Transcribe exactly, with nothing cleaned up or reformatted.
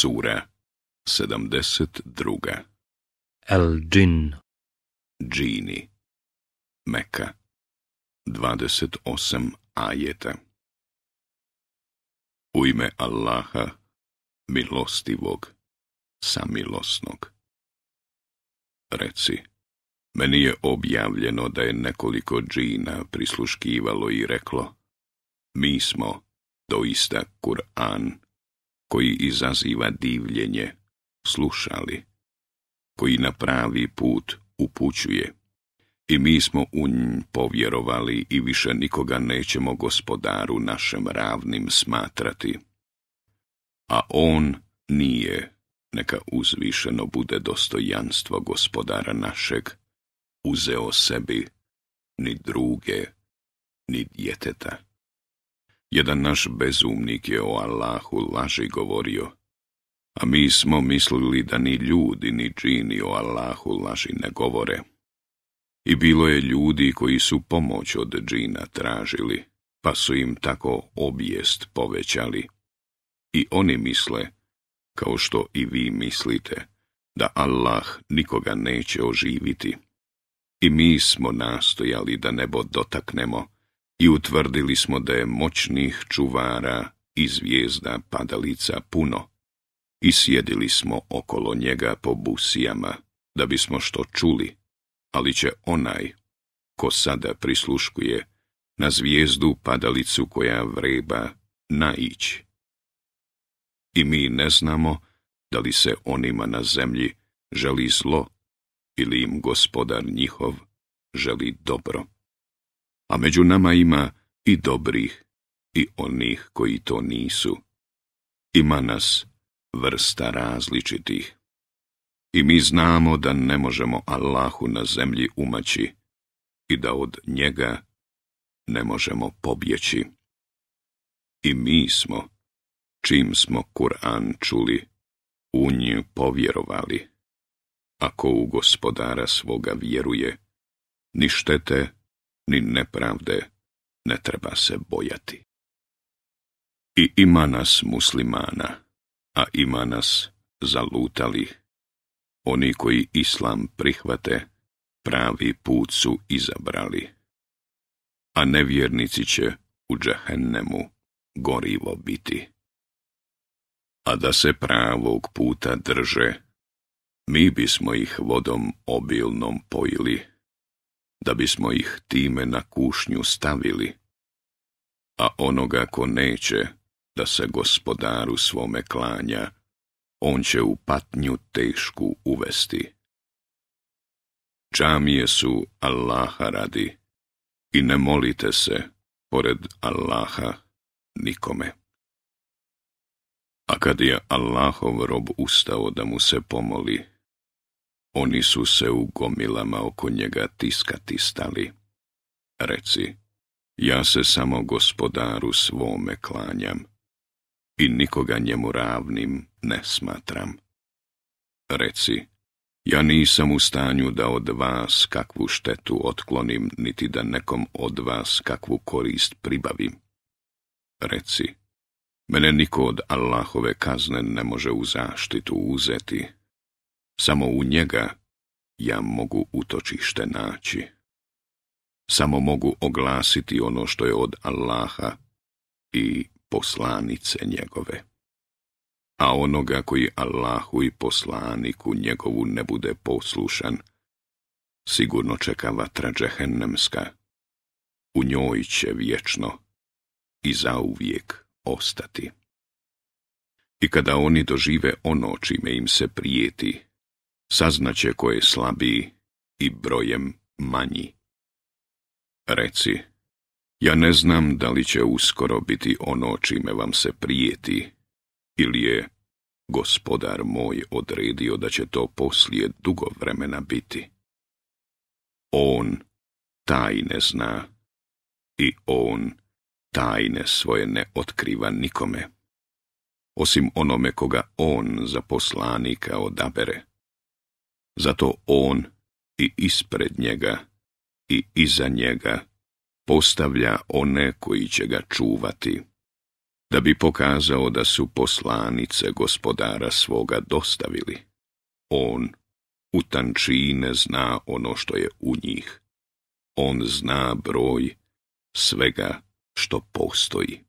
Sura sedamdeset druga. El-Džin. Džini. Meka. dvadeset osam ajeta. U ime Allaha, milostivog, samilosnog. Reci, meni je objavljeno da je nekoliko džina prisluškivalo i reklo, mi smo doista Kur'an, koji izaziva divljenje, slušali, koji na pravi put upućuje, i mi smo u nj povjerovali i više nikoga nećemo gospodaru našem ravnim smatrati. A on nije, neka uzvišeno bude dostojanstvo gospodara našeg, uzeo sebi ni druge, ni djeteta. Jedan naš bezumnik je o Allahu laži govorio, a mi smo mislili da ni ljudi ni džini o Allahu laži ne govore. I bilo je ljudi koji su pomoć od džina tražili, pa su im tako obijest povećali. I oni misle, kao što i vi mislite, da Allah nikoga neće oživiti. I mi smo nastojali da nebo dotaknemo i utvrdili smo da je moćnih čuvara i zvijezda padalica puno. I sjedili smo okolo njega po busijama, da bismo što čuli, ali će onaj, ko sada prisluškuje, na zvijezdu padalicu koja vreba, naići. I mi ne znamo da li se onima na zemlji želi zlo ili im gospodar njihov želi dobro. A među nama ima i dobrih i onih koji to nisu. Ima nas vrsta različitih. I mi znamo da ne možemo Allahu na zemlji umaći i da od njega ne možemo pobjeći. I mi smo, čim smo Kur'an čuli, u nju povjerovali. Ako u gospodara svoga vjeruje, ni štete, ni nepravde ne treba se bojati. I ima nas muslimana, a ima nas zalutalih. Oni koji islam prihvate, pravi put su izabrali, a nevjernici će u džehennemu gorivo biti. A da se pravog puta drže, mi bismo ih vodom obilnom pojili, da bismo ih time na kušnju stavili, a onoga ko neće da se gospodaru svome klanja, on će u patnju tešku uvesti. Džamije su Allaha radi i ne molite se pored Allaha nikome. A kad je Allahov rob ustao da mu se pomoli, oni su se u gomilama oko njega tiskati stali. Reci, ja se samo gospodaru svome klanjam i nikoga njemu ravnim ne smatram. Reci, ja nisam u stanju da od vas kakvu štetu otklonim, niti da nekom od vas kakvu korist pribavim. Reci, mene niko od Allahove kazne ne može u zaštitu uzeti. Samo u njega ja mogu utočište naći. Samo mogu oglasiti ono što je od Allaha i poslanice njegove. A onoga koji Allahu i poslaniku njegovu ne bude poslušan, sigurno čeka vatra džehennemska. U njoj će vječno i zauvijek ostati. I kada oni dožive ono čime im se prijeti, saznaće ko je slabiji i brojem manji. Reci, ja ne znam da li će uskoro biti ono čime vam se prijeti, ili je gospodar moj odredio da će to poslije dugo vremena biti. On tajne zna i on tajne svoje ne otkriva nikome, osim onome koga on za poslanika odabere. Zato on i ispred njega i iza njega postavlja one koji će ga čuvati, da bi pokazao da su poslanice gospodara svoga dostavili. On u tančine zna ono što je u njih. On zna broj svega što postoji.